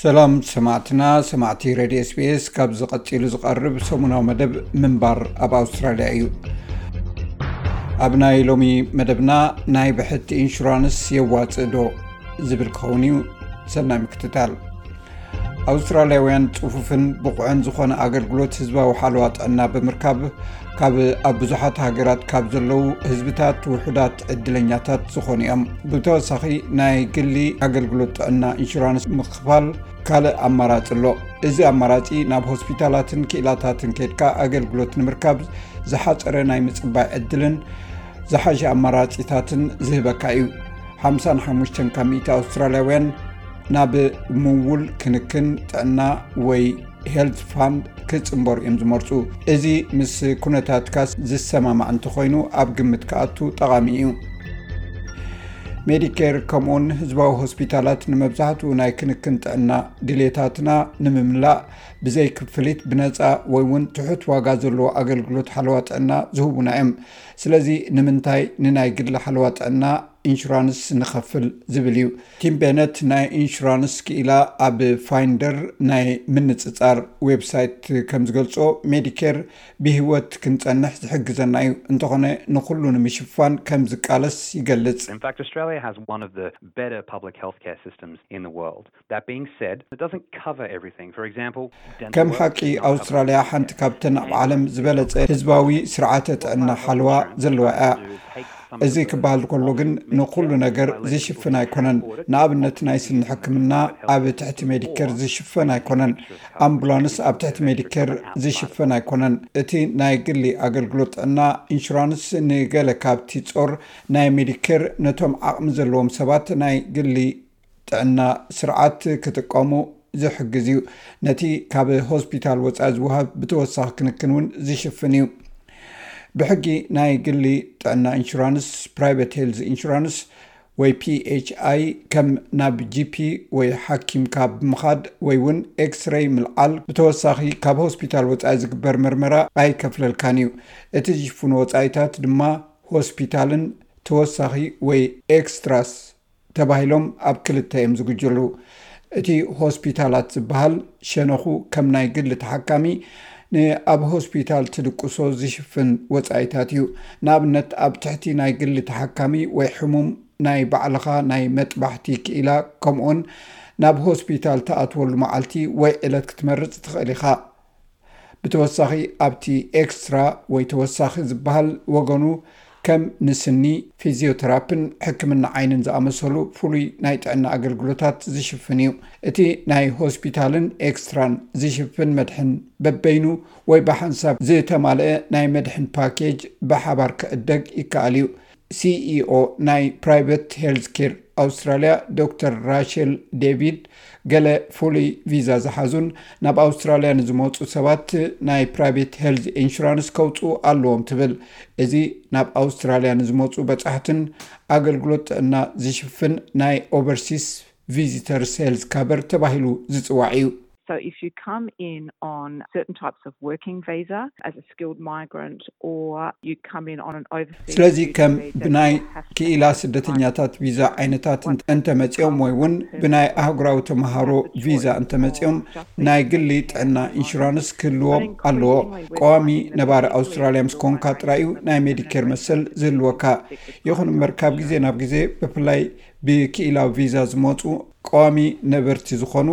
ሰላም ሰማዕትና፣ ሰማዕቲ ሬድዮ ኤስቢኤስ፣ ካብዚ ቀጺሉ ዝቐርብ ሰሙናዊ መደብ ምንባር ኣብ ኣውስትራልያ እዩ። ኣብ ናይ ሎሚ መደብና፣ ናይ ብሕቲ ኢንሹራንስ የዋጽእ ዶ ዝብል ክኸውን እዩ። ሰናይ ምክትታል። ኣውስትራልያውያን ጽፉፍን ብቑዕን ዝኾነ ኣገልግሎት ህዝባዊ ሓለዋ ጥዕና ብምርካብ፣ ካብ ኣብ ብዙሓት ሃገራት ካብ ዘለዉ ህዝብታት ውሑዳት ዕድለኛታት ዝኾኑ እዮም። ብተወሳኺ፣ ናይ ግሊ ኣገልግሎት ጥዕና ኢንሹራንስ ምኽፋል ካልእ ኣማራጺ ኣሎ። እዚ ኣማራጺ፣ ናብ ሆስፒታላትን ክኢላታትን ከድካ ኣገልግሎት ንምርካብ ዝሓጸረ ናይ ምጽባይ ዕድልን ዝሓሸ ኣማራጺታትን ዝህበካ እዩ። ሓምሳን ሓሙሽተን ካብ ሚእቲ ኣውስትራልያውያን ናብ ምውል ክንክን ጥዕና ወይ ሄልት ፋንድ ክጽንበሩ እዮም ዝመርጹ። እዚ ምስ ኩነታትካ ዝሰማማዕ እንተኾይኑ፣ ኣብ ግምት ክኣቱ ጠቓሚ እዩ። ሜዲኬር ከምኡውን ህዝባዊ ሆስፒታላት ንመብዛሕትኡ ናይ ክንክን ጥዕና ድሌታትና ንምምላእ ብዘይ ክፍሊት፣ ብነጻ ወይ እውን ትሑት ዋጋ ዘለዎ ኣገልግሎት ሓለዋ ጥዕና ዝህቡና እዮም። ስለዚ፣ ንምንታይ ንናይ ግሊ ሓለዋ ጥዕና ኢንሹራንስ ንኸፍል ዝብል እዩ። ቲም ቤነት ናይ ኢንሹራንስ ክኢላ ኣብ ፋይንደር ናይ ምንጽጻር ዌብሳይት ከም ዝገልጾ፣ ሜዲኬር ብህይወት ክንጸንሕ ዝሕግዘና እዩ፣ እንተኾነ ንኹሉ ንምሽፋን ከም ዝቃለስ ይገልጽ። In fact, Australia has one of the better public healthcare systems in the world. That being said, it doesn't cover everything. For example, dental ከም work ሓቂ is not covered ኣውስትራልያ by Medicare. ሓንቲ ካብተን ኣብ ዓለም ዝበለጸ ህዝባዊ ስርዓተ ጥዕና ሓለዋ ዘለዋ እያ። እዚ ክበሃል ከሎ ግን ንኹሉ ነገር ዝሽፍን ኣይኮነን። ንኣብነት ናይ ስኒ ሕክምና ኣብ ትሕቲ ሜዲኬር ዝሽፈን ኣይኮነን። ኣምቡላንስ ኣብ ትሕቲ ሜዲኬር ዝሽፈን ኣይኮነን። እቲ ናይ ግሊ ኣገልግሎት ጥዕና ኢንሹራንስ ንገለ ካብቲ ጾር ናይ ሜዲኬር ነቶም ዓቕሚ ዘለዎም ሰባት ናይ ግሊ ጥዕና ስርዓት ክጥቀሙ ዝሕግዝ እዩ። ነቲ ካብ ሆስፒታል ወጻኢ ዝወሃብ ብተወሳኺ ክንክን እውን ዝሽፍን እዩ። ብሕጊ ናይ ግሊ ጥዕና ኢንሹራንስ፣ ፕራይቨት ሄልዝ ኢንሹራንስ ወይ ፒኤችኣይ፣ ከም ናብ ጂፒ ወይ ሓኪምካ ብምኻድ ወይ እውን ኤክስሬይ ምልዓል፣ ብተወሳኺ ካብ ሆስፒታል ወጻኢ ዝግበር መርመራ ኣይከፍለልካን እዩ። እቲ ዝሽፍኑ ወጻኢታት ድማ ሆስፒታልን ተወሳኺ ወይ ኤክስትራስ ተባሂሎም ኣብ ክልተ እዮም ዝጉጀሉ። እቲ ሆስፒታላት ዝበሃል ሸነኹ ከም ናይ ግሊ ተሓካሚ ንኣብ ሆስፒታል ትድቅሶ ዝሽፍን ወጻኢታት እዩ። ንኣብነት፣ ኣብ ትሕቲ ናይ ግሊ ተሓካሚ ወይ ሕሙም ናይ ባዕልኻ ናይ መጥባሕቲ ክኢላ፣ ከምኡውን ናብ ሆስፒታል ትኣትወሉ መዓልቲ ወይ ዕለት ክትመርጽ ትኽእል ኢኻ። ብተወሳኺ፣ ኣብቲ ኤክስትራ ወይ ተወሳኺ ዝበሃል ወገኑ፣ ከም ንስኒ፣ ፊዚዮተራፒን ሕክምና ዓይንን ዝኣመሰሉ ፍሉይ ናይ ጥዕና ኣገልግሎታት ዝሽፍን እዩ። እቲ ናይ ሆስፒታልን ኤክስትራን ዝሽፍን መድሕን በበይኑ ወይ ብሓንሳብ ዝተማልአ ናይ መድሕን ፓኬጅ ብሓባር ክዕደግ ይከኣል እዩ። ሲኢኦ ናይ ፕራይቨት ሄልዝ ኬር ኣውስትራልያ ዶክተር ራሸል ዴቪድ፣ ገለ ፍሉይ ቪዛ ዝሓዙን ናብ ኣውስትራልያ ንዝመጹ ሰባት ናይ ፕራይቬት ሄልዝ ኢንሹራንስ ከውጽኡ ኣለዎም ትብል። እዚ ናብ ኣውስትራልያ ንዝመጹ በጻሕትን ኣገልግሎት ጥዕና ዝሽፍን ናይ ኦቨርሲስ ቪዚተርስ ሄልዝ ካቨር ተባሂሉ ዝጽዋዕ እዩ። So if you come in on certain types of working visa as a skilled migrant, or you come in on an overseas ስለዚ student ከም visa, ብናይ you have to ክኢላ have ስደተኛታት ቪዛ ዓይነታት እንተ- እንተመጺኦም ወይ እውን ብናይ ኣህጉራዊ ተምሃሮ ቪዛ እንተመጺኦም ናይ ግሊ ጥዕና ኢንሹራንስ ክህልዎም ኣለዎ። ቀዋሚ ነባሪ ኣውስትራልያ ምስ ኮንካ ጥራይ እዩ ናይ ሜዲኬር መሰል ዝህልወካ። ይኹን እምበር ካብ ግዜ ናብ ግዜ ብፍላይ ብክኢላዊ ቪዛ ዝመጹ ቀዋሚ ነበርቲ ዝኾኑ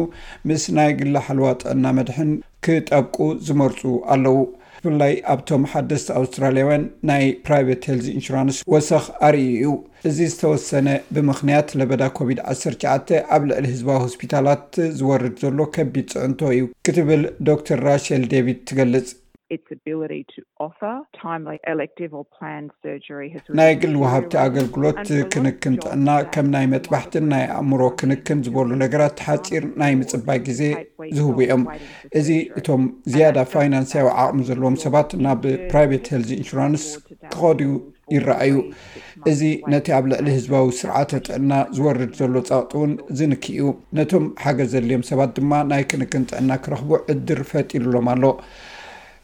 ምስ ናይ ግሊ ሓለዋ ጥዕና መድሕን ክጠብቁ ዝመርጹ ኣለዉ። ብፍላይ ኣብቶም ሓደስቲ ኣውስትራልያውያን ናይ ፕራይቬት ሄልዝ ኢንሹራንስ ወሰኽ ኣርእዩ እዩ። እዚ ዝተወሰነ ብምኽንያት ለበዳ ኮቪድ ዓሰርተ ትሽዓተ ኣብ ልዕሊ ህዝባዊ ሆስፒታላት ዝወርድ ዘሎ ከቢድ ጽዕንቶ እዩ ክትብል ዶክተር ራሸል ዴቪድ ትገልጽ። its ability to offer timely elective or planned surgery has ናይ ግል ወሃብቲ ኣገልግሎት ክንክን ጥዕና ከም ናይ መጥባሕትን ናይ ኣእምሮ ክንክን ዝበሉ ነገራት ሓፂር ናይ ምፅባይ ግዜ ዝህቡ እዮም። እዚ እቶም ዝያዳ ፋይናንስያዊ ዓቕሚ ዘለዎም ሰባት ናብ ፕራይቬት ሄልዝ ኢንሹራንስ ክኸዱ ይረኣዩ። እዚ ነቲ ኣብ ልዕሊ ህዝባዊ ስርዓተ ጥዕና ዝወርድ ዘሎ ጸቕጢ እውን ዝንኪ እዩ። ነቶም ሓገዝ ዘድልዮም ሰባት ድማ ናይ ክንክን ጥዕና ክረኽቡ ዕድር ፈጢሩሎም ኣሎ።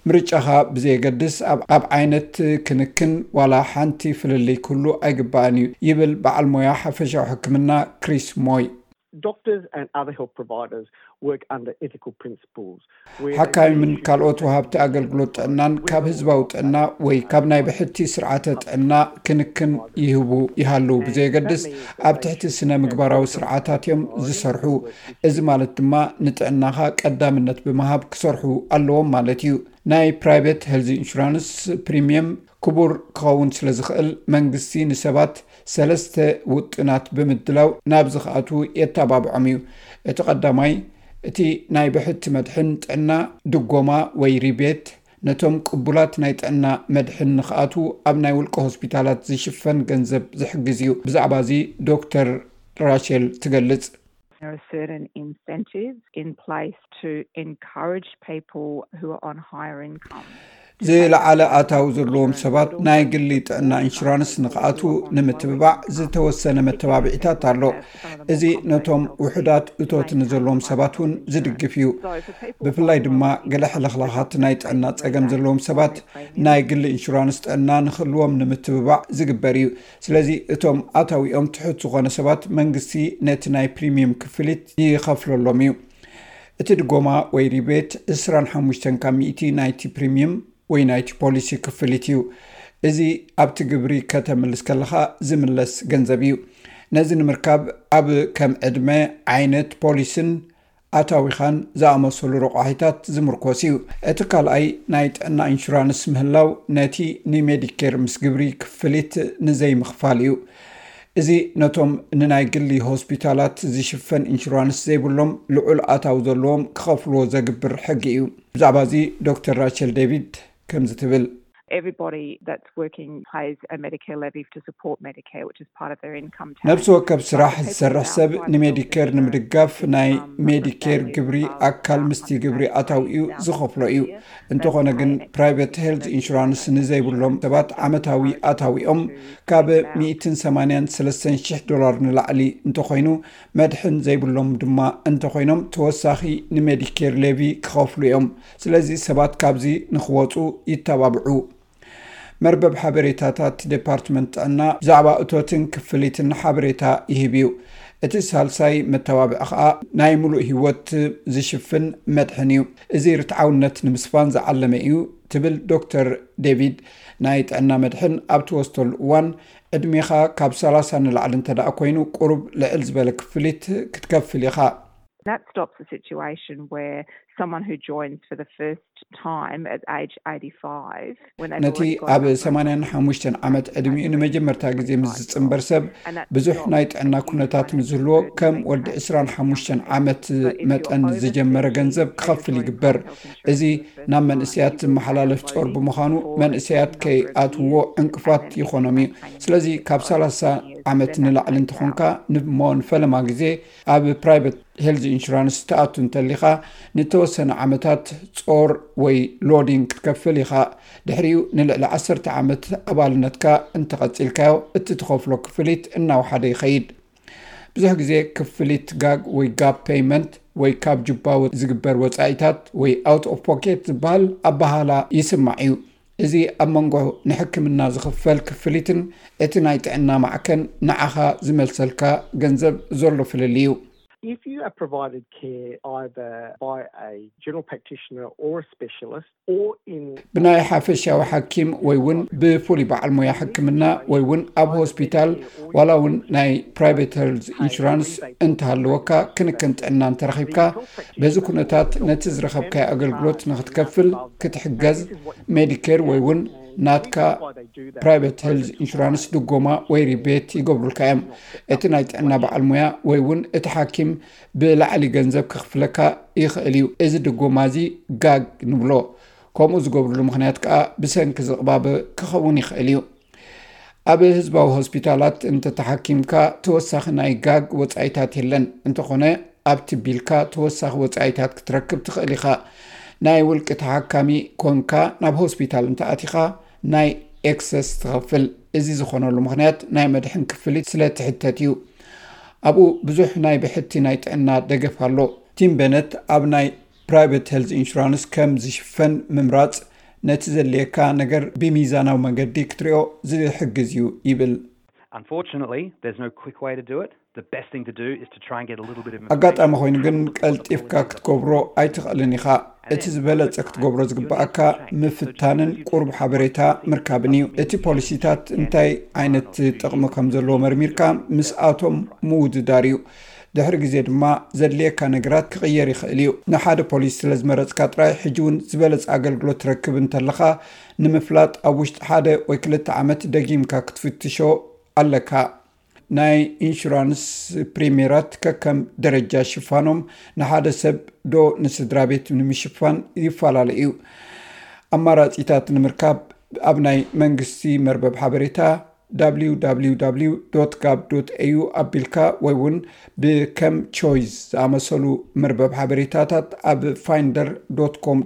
ምርጫኻ ብዘየገድስ ኣብ ኣብ ዓይነት ክንክን ዋላ ሓንቲ ፍልልይ ክህሉ ኣይግባእን እዩ ይብል በዓል ሞያ ሓፈሻዊ ሕክምና ክሪስ ሞይ። Doctors and other health providers work under ethical principles. ሓካይምን ካልኦት ወሃብቲ ኣገልግሎት ጥዕናን ካብ ህዝባዊ ጥዕና ወይ ካብ ናይ ብሕቲ ስርዓተ ጥዕና ክንክን ይህቡ ይሃልው ብዘየገድስ ኣብ ትሕቲ ስነ ምግባራዊ ስርዓታት እዮም ዝሰርሑ። እዚ ማለት ድማ ንጥዕናኻ ቀዳምነት ብምሃብ ክሰርሑ ኣለዎም ማለት እዩ። ናይ private health insurance premium ክቡር ክኸውን ስለ ዝኽእል መንግስቲ ንሰባት ሰለስተ ውጥናት ብምድላው ናብዚ ክኣቱ የተባብዖም እዩ። እቲ ቀዳማይ እቲ ናይ ብሕቲ መድሕን ጥዕና ድጎማ ወይ ሪቤት ነቶም ቅቡላት ናይ ጥዕና መድሕን ንክኣትዉ ኣብ ናይ ውልቀ ሆስፒታላት ዝሽፈን ገንዘብ ዝሕግዝ እዩ። ብዛዕባ እዚ ዶክተር ራሸል ትገልጽ። There are certain incentives in place to encourage people who are on higher income. ዝለዓለ ኣታዊ ዘለዎም ሰባት ናይ ግሊ ጥዕና ኢንሹራንስ ንክኣትዉ ንምትብባዕ ዝተወሰነ መተባብዒታት ኣሎ። እዚ ነቶም ውሑዳት እቶት ንዘለዎም ሰባት እውን ዝድግፍ እዩ። ብፍላይ ድማ ገለ ሕልኽላኻት ናይ ጥዕና ጸገም ዘለዎም ሰባት ናይ ግሊ ኢንሹራንስ ጥዕና ንክህልዎም ንምትብባዕ ዝግበር እዩ። ስለዚ እቶም ኣታዊኦም ትሑት ዝኾነ ሰባት መንግስቲ ነቲ ናይ ፕሪሚየም ክፍሊት ይኸፍለሎም እዩ። እቲ ድጎማ ወይ ሪቤት ዕስራን ሓሙሽተን ካብ ሚእቲ ናይቲ ፕሪሚየም ወይ ናይቲ ፖሊሲ ክፍሊት እዩ። እዚ ኣብቲ ግብሪ ከተምልስ ከለኻ ዝምለስ ገንዘብ እዩ። ነዚ ንምርካብ ኣብ ከም ዕድመ፣ ዓይነት ፖሊስን ኣታዊኻን ዝኣመሰሉ ረቋሒታት ዝምርኮስ እዩ። እቲ ካልኣይ ናይ ጥዕና ኢንሹራንስ ምህላው ነቲ ንሜዲኬር ምስ ግብሪ ክፍሊት ንዘይምኽፋል እዩ። እዚ ነቶም ንናይ ግሊ ሆስፒታላት ዝሽፈን ኢንሹራንስ ዘይብሎም ልዑል ኣታዊ ዘለዎም ክኸፍልዎ ዘግብር ሕጊ እዩ። ብዛዕባ እዚ ዶክተር ራቸል ዴቪድ ከምዚ ትብል። Everybody that's working pays a Medicare levy to support Medicare, which is part of their income tax. ነብሲ ወከፍ ስራሕ ዝሰርሕ ሰብ ንሜዲኬር ንምድጋፍ ናይ ሜዲኬር ግብሪ ኣካል ምስቲ ግብሪ ኣታዊኡ ዝኸፍሎ እዩ። እንተኾነ ግን ፕራይቬት ሄልት ኢንሹራንስ ንዘይብሎም ሰባት ዓመታዊ ኣታዊኦም ካብ ሚእትን ሰማንያን ሰለስተን ሽሕ ዶላር ንላዕሊ እንተኾይኑ፣ መድሕን ዘይብሎም ድማ እንተኾይኖም ተወሳኺ ንሜዲኬር ሌቪ ክኸፍሉ እዮም። ስለዚ ሰባት ካብዚ ንኽወፁ ይተባብዑ። መርበብ ሓበሬታታት ዴፓርትመንት ጥዕና ብዛዕባ እቶትን ክፍሊትን ሓበሬታ ይህብ እዩ። እቲ ሳልሳይ መተባብዒ ኸኣ ናይ ምሉእ ህይወት ዝሽፍን መድሕን እዩ። እዚ ርትዓውነት ንምስፋን ዝዓለመ እዩ ትብል ዶክተር ዴቪድ። ናይ ጥዕና መድሕን ኣብ ትወስደሉ እዋን ዕድሜኻ ካብ ሰላሳ ንላዕሊ እንተ ደኣ ኮይኑ ቁሩብ ልዕል ዝበለ ክፍሊት ክትከፍል ኢኻ። That stops a situation where someone who joins for the first time at age eighty-five, when they've ነቲ already got ኣብ enough ሰማንያን ሓሙሽተን ዓመት ዕድሚኡ ንመጀመርታ ግዜ ምስ ዝጽንበር ሰብ ብዙሕ ናይ ጥዕና ኩነታት ምስ ዝህልዎ ከም ወዲ ዕስራን ሓሙሽተን ዓመት መጠን ዝጀመረ ገንዘብ ክኸፍል ይግበር። እዚ ናብ መንእሰያት ዝመሓላለፍ ጾር ብምዃኑ መንእሰያት ከይኣትዎ ዕንቅፋት ይኾኖም እዩ። ስለዚ ካብ ሰላሳ ዓመት ንላዕሊ እንተኾንካ ንሞ ንፈለማ ግዜ ኣብ ፕራይቬት ሄልዝ ኢንሹራንስ ትኣቱ እንተሊኻ ንተወሰነ ዓመታት ጾር ወይ ሎዲንግ ክትከፍል ኢኻ። ድሕሪኡ ንልዕሊ ዓሰርተ ዓመት ኣባልነትካ እንተቐጺልካዮ እቲ ትኸፍሎ ክፍሊት እናወሓደ ይኸይድ። ብዙሕ ግዜ ክፍሊት ጋግ ወይ ጋፕ ፔይመንት ወይ ካብ ጁባ ዝግበር ወጻኢታት ወይ ኣውት ኦፍ ፖኬት ዝበሃል ኣበሃህላ ይስማዕ እዩ። እዚ ኣብ መንጎ ንሕክምና ዝኽፈል ክፍሊትን እቲ ናይ ጥዕና ማዕከን ንዓኻ ዝመልሰልካ ገንዘብ ዘሎ ፍልልይ እዩ። If you are provided care either by a general practitioner or a specialist or in ብናይ ሓፈሻዊ ሓኪም ወይ እውን ብፍሉይ በዓል ሞያ ሕክምና ወይ እውን ኣብ ሆስፒታል ዋላ እውን ናይ ፕራይቬት ሄልዝ ኢንሹራንስ እንተሃለወካ ክንክን ጥዕና እንተረኺብካ በዚ ኩነታት ነቲ ዝረኸብካዮ ኣገልግሎት ንክትከፍል ክትሕገዝ ሜዲኬር ወይ እውን ናትካ ፕራይቬት ሄልዝ ኢንሹራንስ ድጎማ ወይ ሪቤት ይገብሩልካ እዮም። እቲ ናይ ጥዕና በዓል ሞያ ወይ እውን እቲ ሓኪም ብላዕሊ ገንዘብ ክኽፍለካ ይኽእል እዩ። እዚ ድጎማ እዚ ጋግ ንብሎ። ከምኡ ዝገብርሉ ምኽንያት ከኣ ብሰንኪ ዝቕባበ ክኸውን ይኽእል እዩ። ኣብ ህዝባዊ ሆስፒታላት እንተተሓኪምካ ተወሳኺ ናይ ጋግ ወጻኢታት የለን። እንተኾነ ኣብቲ ቢልካ ተወሳኺ ወጻኢታት ክትረክብ ትኽእል ኢኻ። ናይ ውልቂ ተሓካሚ ኮንካ ናብ ሆስፒታል እንተኣቲኻ ናይ ኤክሰስ ትኸፍል። እዚ ዝኾነሉ ምኽንያት ናይ መድሕን ክፍሊት ስለ ትሕተት እዩ። ኣብኡ ብዙሕ ናይ ብሕቲ ናይ ጥዕና ደገፍ ኣሎ። ቲም በነት ኣብ ናይ ፕራይቬት ሄልዝ ኢንሹራንስ ከም ዝሽፈን ምምራጽ ነቲ ዘድልየካ ነገር ብሚዛናዊ መገዲ ክትሪኦ ዝሕግዝ እዩ ይብል። Unfortunately, there's no quick way to do it. The best thing to do is to try and get a little bit of ኣጋጣሚ ኮይኑ ግን ቀልጢፍካ ክትገብሮ ኣይትኽእልን ኢኻ። እቲ ዝበለጸ ክትገብሮ ዝግባኣካ ምፍታንን ቁሩብ ሓበሬታ ምርካብን እዩ። እቲ ፖሊሲታት እንታይ ዓይነት ጥቕሚ ከም ዘለዎ መርሚርካ ምስኣቶም ምውድዳር እዩ። ድሕሪ ግዜ ድማ ዘድልየካ ነገራት ክቕየር ይኽእል እዩ። ንሓደ ፖሊሲ ስለ ዝመረጽካ ጥራይ ሕጂ እውን ዝበለጸ ኣገልግሎት ትረክብ እንተለኻ ንምፍላጥ ኣብ ውሽጢ ሓደ ወይ ክልተ ዓመት ደጊምካ ክትፍትሾ ኣለካ። ናይ ኢንሹራንስ ፕሪሚየራት ከከም ደረጃ ሽፋኖም ንሓደ ሰብ ዶ ንስድራ ቤት ንምሽፋን ይፈላለ እዩ። ኣማራጺታት ንምርካብ ኣብ ናይ መንግስቲ መርበብ ሓበሬታ www gov au ኣቢልካ ወይ እውን ብከም ቾይስ ዝኣመሰሉ መርበብ ሓበሬታታት ኣብ finder com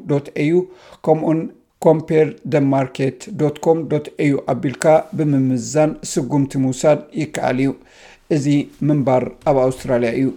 au ከምኡን compare the market com au ኣቢልካ ብምምዛን ስጉምቲ ምውሳድ ይከኣል እዩ። እዚ ምንባር ኣብ ኣውስትራልያ እዩ።